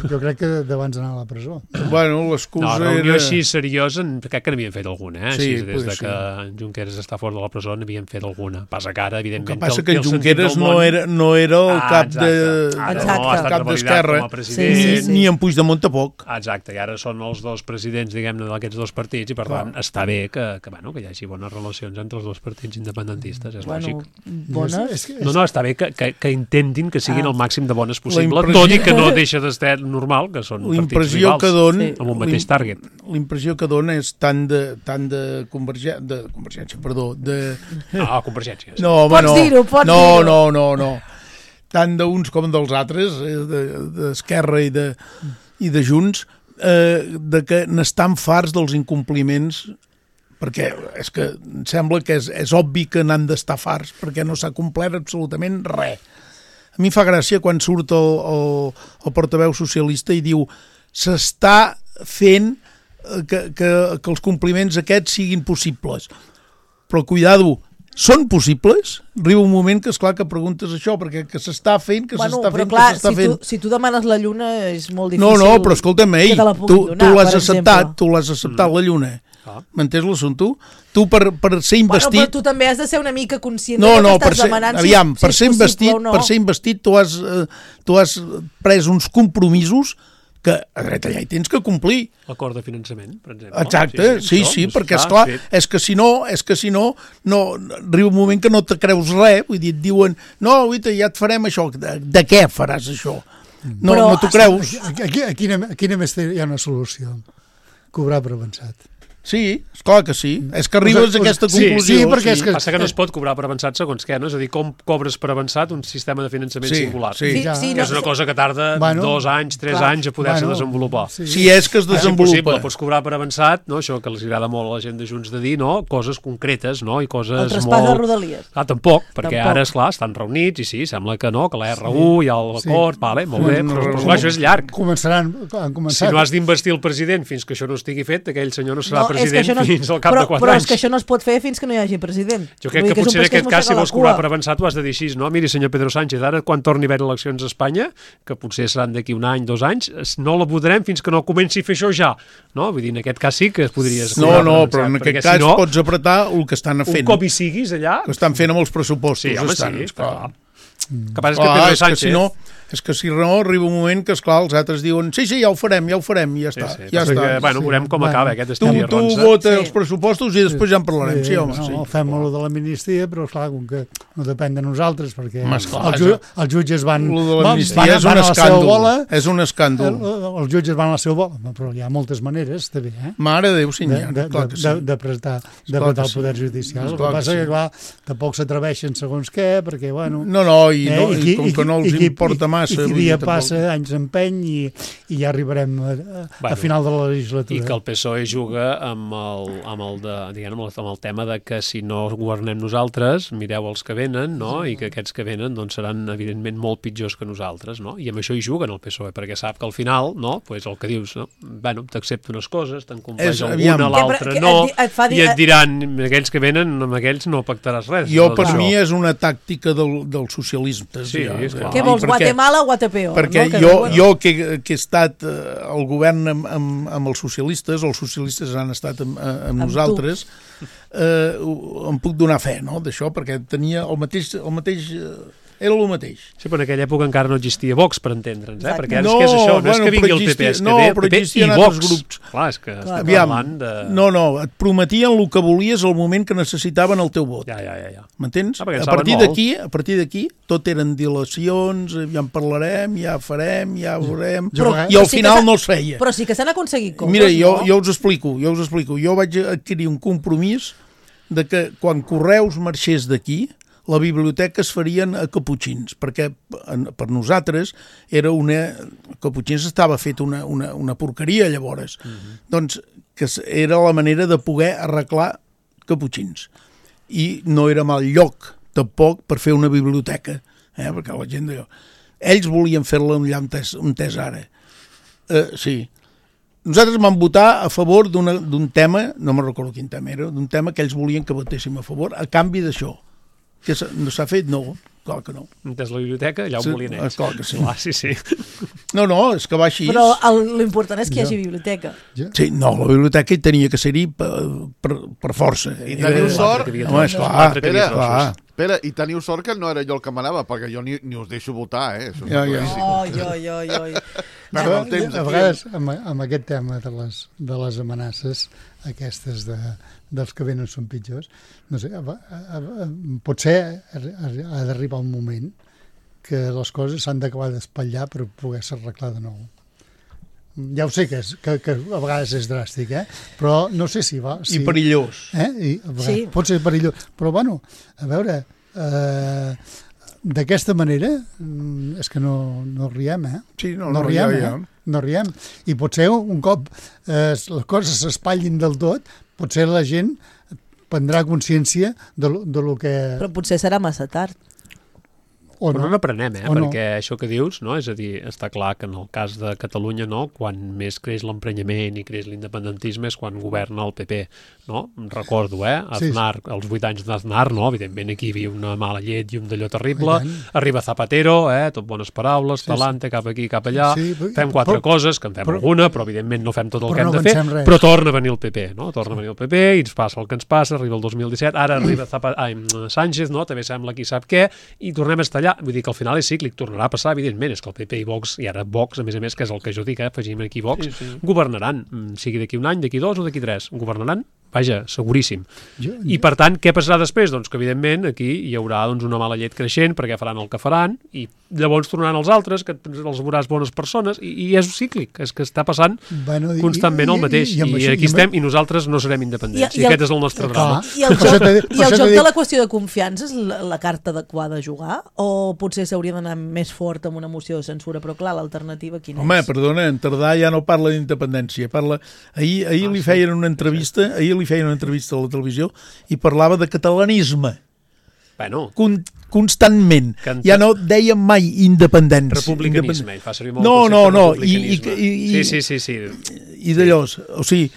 Jo crec que d'abans d'anar a la presó. Bueno, l'excusa era... No, reunió així seriosa, crec que n'havien fet alguna, eh? Des de que Junqueras està fora de la presó n'havien fet alguna. Passa que ara, evidentment... El que passa que Junqueras no era el cap d'Esquerra, ni en Puigdemont tampoc. Exacte, i ara són els dos presidents, diguem-ne, d'aquests dos partits, i per tant està bé que hi hagi bones relacions entre els dos partits independentistes, és lògic. Bones? No, està bé que intentin que siguin el màxim de bones possible, tot i que no deixa d'estar normal, que són partits rivals amb un mateix target. L'impressió que dona és tant de Convergència, perdó, de... No, Convergència. Pots dir-ho. No. Tant d'uns com dels altres, d'Esquerra i de Junts, de que n'estan farts dels incompliments, perquè és que em sembla que és obvi que n'han d'estar farts, perquè no s'ha complert absolutament res. A mi fa gràcia quan surt el portaveu socialista i diu s'està fent que els compliments aquests siguin possibles. Però cuidado, són possibles? Arriba un moment que és clar que preguntes això, perquè que s'està fent, que s'està fent, que s'està fent. Si tu demanes la Lluna és molt difícil... No, però escolta'm, tu l'has acceptat, la Lluna. M'entens l'assumpte? Tu per ser investit... Bueno, però tu també has de ser una mica conscient del que estàs demanant. Aviam, per ser investit tu has pres uns compromisos que a dret allà hi tens que complir. L'acord de finançament, per exemple. Exacte, sí, perquè esclar, és que si no, arriba un moment que no te creus res, vull dir, et diuen, no, guita, ja et farem això, de què faràs això? No t'ho creus. Aquí només hi ha una solució, cobrar per avançat. Sí, esclar que sí. És que arribes a aquesta conclusió. Sí, perquè passa que no es pot cobrar per avançat segons què, no? És a dir, com cobres per avançat un sistema de finançament singular. Sí, que és una cosa que tarda 2 anys, 3 anys a poder-se desenvolupar. Si és que es desenvolupa. És impossible, pots cobrar per avançat, no? Això que els agrada molt a la gent de Junts de dir, no? Coses concretes, no? I coses molt... El traspàs de Rodalies. Tampoc, perquè ara, esclar, estan reunits i sí, sembla que no, que la R1 hi ha l'acord, vale, molt bé, però això és llarg. Han començat. Si no has d'investir el president fins que això no estigui fet, aquell senyor no serà president fins al cap de 4 anys. Però és que això no es pot fer fins que no hi hagi president. Jo crec que potser en aquest cas, si vols cobrar per avançat, ho has de dir així, no? Miri, senyor Pedro Sánchez, ara quan torni a haver eleccions a Espanya, que potser seran d'aquí 1 any, 2 anys, no la votarem fins que no comenci a fer això ja. No? Vull dir, en aquest cas sí que es podria... No, però en aquest cas pots apretar el que estan fent. Un cop hi siguis allà... Que estan fent amb els pressupostos. Sí, home, sí, clar. Que passa que Pedro Sánchez... És que si no, arriba un moment que, esclar, els altres diuen sí, ja ho farem, i ja està. Ja està. Bueno, veurem com acaba aquest estil i Tu vota els pressupostos i després ja en parlarem. Sí, home, sí. Fem-ho de l'amnistia, però esclar, com que no depèn de nosaltres, perquè els jutges van a la seva bola. És un escàndol. Els jutges van a la seva bola, però hi ha moltes maneres, també, Mare de Déu, sí, d'apretar el poder judicial. El que passa que, clar, tampoc s'atreveixen segons què, perquè, bueno... No, i com que no els importa massa... I qui dia passa, anys empeny, i ja arribarem a final de la legislatura. I que el PSOE juga amb el tema de que si no governem nosaltres, mireu els que venen, no? I que aquests que venen doncs, seran, evidentment, molt pitjors que nosaltres, no? I amb això hi juguen el PSOE, perquè sap que al final, no? Pues el que dius, no? Bueno, t'accepta unes coses, te'n compleix alguna, l'altra no, i et diran, aquells que venen, amb aquells no pactaràs res. Per mi és una tàctica del socialisme. Sí, esclar. Què vols, Guatemala o Guatepeo? Perquè jo que he estat al govern amb els socialistes han estat amb nosaltres, em puc donar fe, no?, d'això, perquè tenia el mateix era el mateix. Sí, però en aquella època encara no existia Vox, per entendre'ns, perquè ara és que és això, no és que vingui el PP, és que ve el PP i Vox. Clar, és que estem parlant de... No, et prometien el que volies al moment que necessitaven el teu vot. Ja. M'entens? A partir d'aquí, tot eren dilacions, ja en parlarem, ja farem, ja veurem, i al final no es feia. Però sí que s'han aconseguit coses, Mira, jo us explico. Jo vaig adquirir un compromís de que quan Correus marxés d'aquí, la biblioteca es farien a Caputxins, perquè per nosaltres Caputxins estava fet una porqueria llavors. Doncs que era la manera de poder arreglar Caputxins. I no era mal lloc, tampoc, per fer una biblioteca, perquè la gent d'allò... Ells volien fer-la allà on és ara. Sí. Nosaltres vam votar a favor d'un tema, no me'n recordo quin tema era, d'un tema que ells volien que votéssim a favor, a canvi d'això. Que no s'ha fet? No, clar que no. Des la biblioteca ja ho volien ells. Clar que sí. Sí. No, és que va així. Però l'important és que hi hagi biblioteca. Sí, no, la biblioteca hi tenia que ser-hi per força. I teniu sort... Home, esclar. Espera, i teniu sort que no era jo el que manava, perquè jo ni us deixo votar, Ja. A vegades, amb aquest tema de les amenaces, aquestes dels que venen són pitjors, no sé, potser ha d'arribar un moment que les coses s'han d'acabar d'espatllar per poder-se arreglar de nou. Ja ho sé que a vegades és dràstic, però no sé si va... I perillós. Sí. Pot ser perillós. Però, bueno, a veure, d'aquesta manera és que no riem, Sí, no riem. No riem. I potser un cop les coses s'espatllin del tot, potser la gent prendrà consciència de lo que... Però potser serà massa tard. Però no n'aprenem, perquè això que dius, no? És a dir, està clar que en el cas de Catalunya, no? Quan més creix l'emprenyament i creix l'independentisme és quan governa el PP, no? Recordo, Aznar, els 8 anys d'Aznar, no? Evidentment aquí hi havia una mala llet i un d'allò terrible, arriba Zapatero, tot bones paraules, talante, cap aquí, cap allà, fem 4 coses, que en fem alguna, però evidentment no fem tot el que hem de fer, però torna a venir el PP, no? Torna a venir el PP i ens passa el que ens passa, arriba el 2017, ara arriba Sánchez, no? També sembla qui sap què, i tornem a estar allà. Vull dir que al final és cíclic, tornarà a passar, evidentment, és que el PP i Vox, i ara Vox, a més, que és el que jo dic, afegim aquí Vox, governaran, sigui d'aquí un any, d'aquí 2 o d'aquí 3, governaran, vaja, seguríssim. I per tant, què passarà després? Doncs que evidentment aquí hi haurà una mala llet creixent perquè faran el que faran i llavors tornaran els altres, que els veuràs bones persones, i és cíclic, és que està passant constantment el mateix, i aquí estem i nosaltres no serem independents, i aquest és el nostre drama. I el joc de la qüestió de confiança és la carta adequada a jugar? O potser s'hauria d'anar més fort amb una moció de censura? Però clar, l'alternativa quina és? Home, perdona, en Tardà ja no parla d'independència, ahir li feien una entrevista, a la televisió i parlava de catalanisme. Bueno, constantment. Ja no dèiem mai independència. Republicanisme, fa servir molt republicanisme. Sí. I d'allò, o sigui...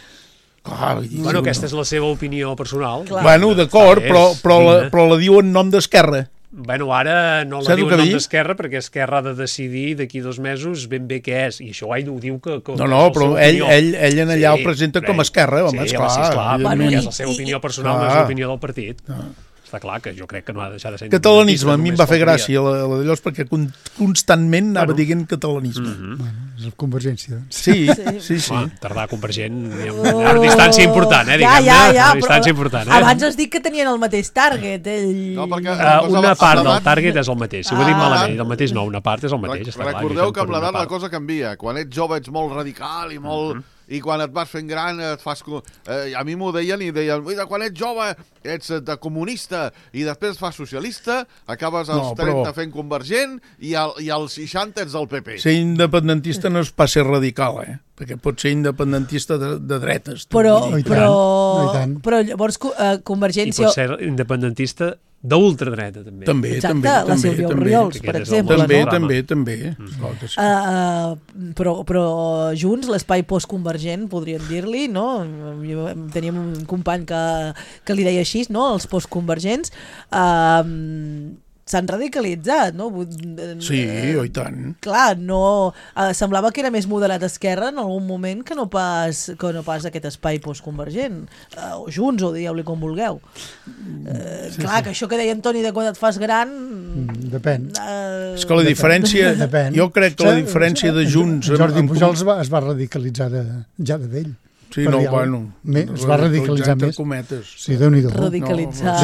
Bueno, aquesta és la seva opinió personal. Bueno, d'acord, però la diu en nom d'Esquerra. Bueno, ara no la diu en nom d'Esquerra perquè Esquerra ha de decidir d'aquí 2 mesos ben bé què és, i això ell ho diu que no, però ell en allà ho presenta com a Esquerra, home, esclar, perquè és la seva opinió personal, no és l'opinió del partit. Està clar que jo crec que no ha de deixar de ser catalanisme, a mi em va fer gràcia la d'allò, perquè constantment anava dient catalanisme. És Convergència. Sí. Tardar Convergent, hi ha una distància important, Ja, distància important. Abans has dit que tenien el mateix target. Una part del target és el mateix, si ho he dit malament, el mateix no, una part és el mateix. Recordeu que amb l'edat la cosa canvia. Quan ets jove ets molt radical i molt... I quan et vas fent gran et fas... a mi m'ho deien i deien, quan ets jove ets de comunista i després et fas socialista, acabes als 30 fent convergent i als 60 ets del PP. Ser independentista no és pas ser radical, perquè pot ser independentista de dretes. Però llavors Convergència... I pot ser independentista d'ultradreta, també. Exacte, la Sílvia Oriols, per exemple. També. Però Junts, l'espai postconvergent, podríem dir-li, no? Teníem un company que li deia així, no? Els postconvergents s'han radicalitzat, no? Sí, i tant. Clar, no... semblava que era més moderat esquerra en algun moment que no pas aquest espai postconvergent. O Junts, o dieu-li com vulgueu. Clar, que això que deia Antoni de quan et fas gran... Depèn. És que la diferència... Jo crec que la diferència de Junts... Jordi Pujol es va radicalitzar ja de vell. Sí, no, bueno... Es va radicalitzar més. Sí, Déu-n'hi-do. Radicalitzar...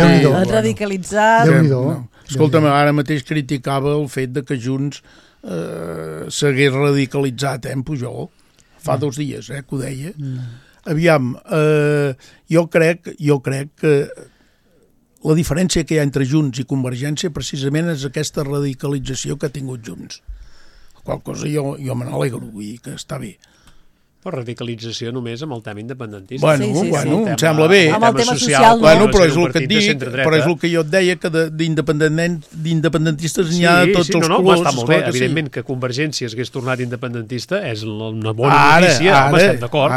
Déu-n'hi-do. Escolta'm, ara mateix criticava el fet de que Junts s'hagués radicalitzat, en Pujol. Fa 2 dies, que ho deia. Aviam, jo crec que la diferència que hi ha entre Junts i Convergència precisament és aquesta radicalització que ha tingut Junts. Qual cosa jo me n'alegro, vull dir que està bé. Però radicalització només amb el tema independentista. Bueno, em sembla bé. Amb el tema social, no? Bueno, però és el que et dic, però és el que jo et deia, que d'independentistes n'hi ha de tots els colors. Està molt bé, evidentment que Convergència hagués tornat independentista és una bona notícia, estem d'acord.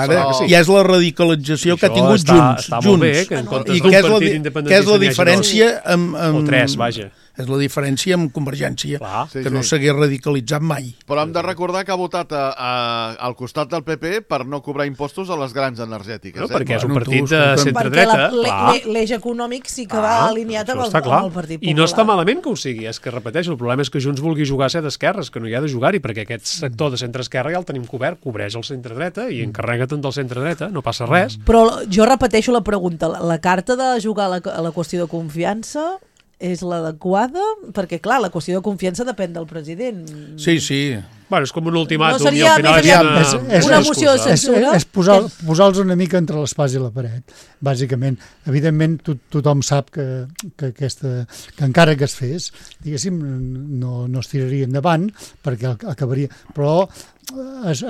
I és la radicalització que ha tingut Junts. Està molt bé, que en comptes d'un partit independentista què és la diferència amb... O 3, vaja. És la diferència amb Convergència, que no s'hagués radicalitzat mai. Però hem de recordar que ha votat al costat del PP per no cobrar impostos a les grans energètiques. No, perquè és un partit de centre-dreta. Perquè l'eix econòmic sí que va alineat amb el Partit Popular. I no està malament que ho sigui, és que repeteixo, el problema és que Junts vulgui jugar a ser d'esquerres, que no hi ha de jugar-hi, perquè aquest sector de centre-esquerra ja el tenim cobert, cobreix el centre-dreta i encarrega-te'n del centre-dreta, no passa res. Però jo repeteixo la pregunta, la carta de jugar a la qüestió de confiança és l'adequada? Perquè, clar, la qüestió de confiança depèn del president. Sí. Bueno, és com un ultimàtum. No seria una moció de censura? És posar-los una mica entre l'espàs i la paret, bàsicament. Evidentment, tothom sap que encara que es fes, diguéssim, no es tiraria endavant, perquè acabaria... Però és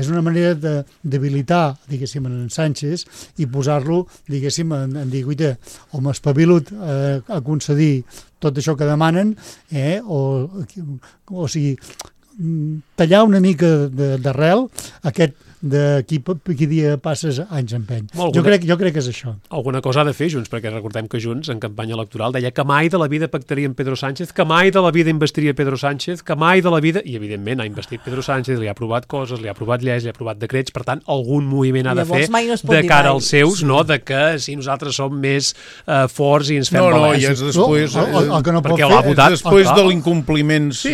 una manera de debilitar, diguéssim, en Sánchez i posar-lo, diguéssim, en dir, guaita, o m'espavilut a concedir tot això que demanen, o sigui, tallar una mica d'arrel aquest de qui dia passes anys empeny. Jo crec que és això. Alguna cosa ha de fer Junts, perquè recordem que Junts en campanya electoral deia que mai de la vida pactaria amb Pedro Sánchez, que mai de la vida investiria Pedro Sánchez, que mai de la vida... I evidentment ha investit Pedro Sánchez, li ha aprovat coses, li ha aprovat lleis, li ha aprovat decrets, per tant, algun moviment ha de fer de cara als seus, no? De que si nosaltres som més forts i ens fem valents. I és després... Perquè l'ha votat. Després de l'incompliments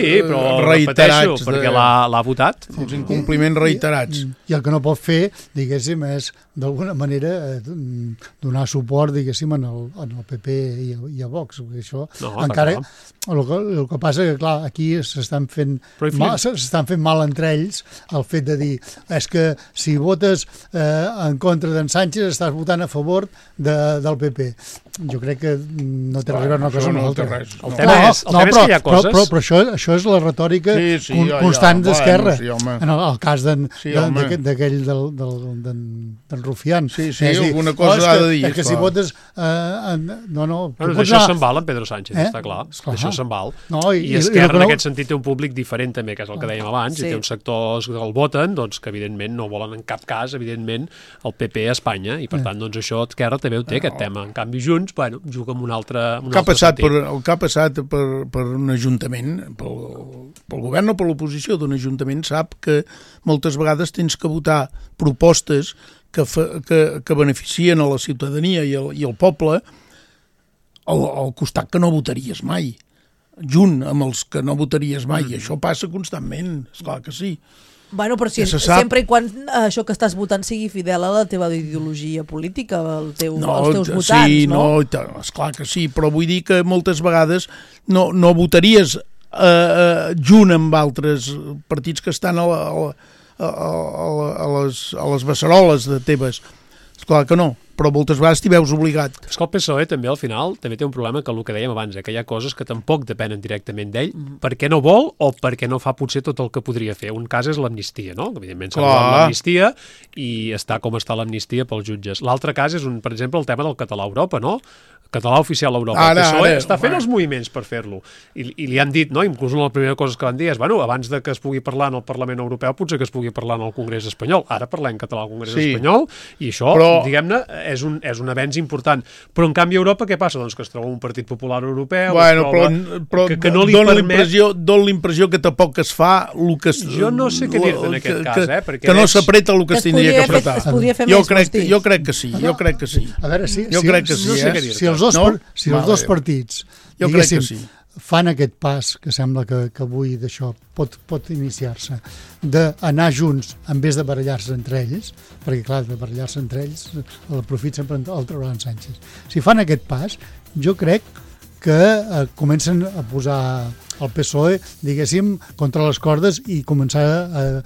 reiterats. Perquè l'ha votat. Els incompliments reiterats. I el que no pot fer, diguéssim, és d'alguna manera donar suport, diguéssim, en el PP i a Vox. Això encara... El que passa que, clar, aquí s'estan fent mal entre ells el fet de dir és que si votes en contra d'en Sánchez estàs votant a favor del PP. Jo crec que no té res a veure una cosa amb l'altra. El tema és que hi ha coses... Però això és la retòrica constant d'Esquerra. En el cas d'aquell d'en Rufián. Sí, alguna cosa ha de dir. És que si votes... D'això se'n val en Pedro Sánchez, està clar. D'això se'n val. I Esquerra en aquest sentit té un públic diferent també, que és el que dèiem abans, i té uns sectors que el voten, que evidentment no volen en cap cas, evidentment, el PP a Espanya, i per tant, això Esquerra també ho té, aquest tema. En canvi, Junts, juga amb un altre sentit. El que ha passat per un ajuntament, pel govern o per l'oposició d'un ajuntament, sap que moltes vegades tens que votar propostes que beneficien a la ciutadania i al poble al costat que no votaries mai, junt amb els que no votaries mai. Això passa constantment, esclar que sí. Bueno, però si sempre i quan això que estàs votant sigui fidel a la teva ideologia política, als teus votants, sí, no? Esclar que sí, però vull dir que moltes vegades no votaries junt amb altres partits que estan a les beceroles de teves. Esclar que no, però moltes vegades t'hi veus obligat. És que el PSOE també al final també té un problema que el que dèiem abans, que hi ha coses que tampoc depenen directament d'ell, perquè no vol o perquè no fa potser tot el que podria fer. Un cas és l'amnistia, no? Evidentment s'ha aprovat l'amnistia i està com està l'amnistia pels jutges. L'altre cas és, per exemple, el tema del català a Europa, no? Català oficial a Europa. El PSOE està fent els moviments per fer-lo. I li han dit, no? Inclús una de les primeres coses que van dir és, bueno, abans de que es pugui parlar en el Parlament Europeu, potser que es pugui parlar en el Congrés espanyol. Ara parlem català al Congrés espanyol i això, diguem-ne, és un avenç important. Però en canvi a Europa què passa? Doncs que es troba un Partit Popular Europeu, però que no li permet... Dóna l'impressió que tampoc es fa el que... Jo no sé què dir-te en aquest cas, que no s'apreta el que es tindria que apretar. Jo crec que sí, A veure, si els dos partits, diguéssim, fan aquest pas, que sembla que avui d'això pot iniciar-se, d'anar junts en vez de barallar-se entre ells, perquè clar, de barallar-se entre ells el profit sempre el trauran Sánchez. Si fan aquest pas, jo crec que comencen a posar el PSOE, diguéssim, contra les cordes i començar a...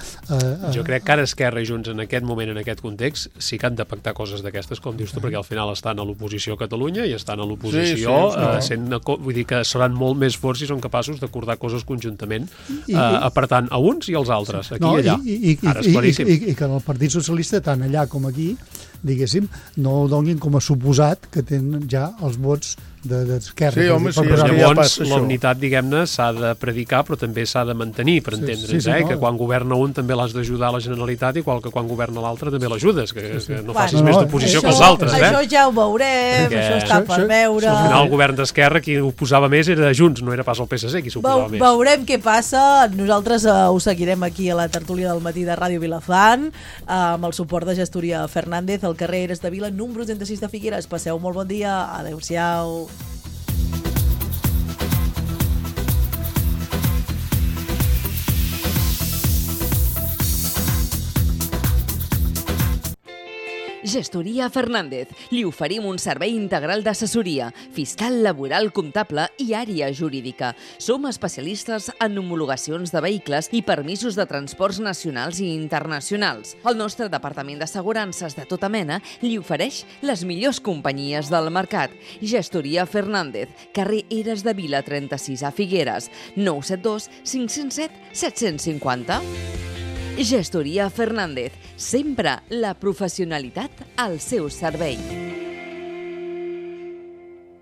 Jo crec que ara Esquerra i Junts en aquest moment, en aquest context, sí que han de pactar coses d'aquestes, com dius tu, perquè al final estan a l'oposició a Catalunya i estan a l'oposició, vull dir que seran molt més forts si són capaços d'acordar coses conjuntament, apartant a uns i als altres, aquí i allà. Ara és claríssim. I que el Partit Socialista, tant allà com aquí, diguéssim, no ho donin com a suposat que tenen ja els vots d'Esquerra. Sí, home, sí. Llavors, la unitat, diguem-ne, s'ha de predicar, però també s'ha de mantenir, per entendre'ns, que quan governa un també l'has d'ajudar a la Generalitat, igual que quan governa l'altre també l'ajudes, que no facis més d'oposició que els altres. Això ja ho veurem, això està per veure. Al final, el govern d'Esquerra, qui ho posava més era Junts, no era pas el PSC qui s'ho posava més. Veurem què passa. Nosaltres ho seguirem aquí a la tertúlia del matí de Ràdio Vilafant, amb el suport de Gestoria Fernández, al carrer Eres de Vila, número 36 de Figueres. Passeu molt bon dia. Adéu-siau. Gestoria Fernández. Li oferim un servei integral d'assessoria, fiscal, laboral, comptable i àrea jurídica. Som especialistes en homologacions de vehicles i permisos de transports nacionals i internacionals. El nostre departament d'assegurances de tota mena li ofereix les millors companyies del mercat. Gestoria Fernández, carrer Eres de Vila 36 a Figueres, 972 507 750. Gestoria Fernández, sempre la professionalitat al seu servei.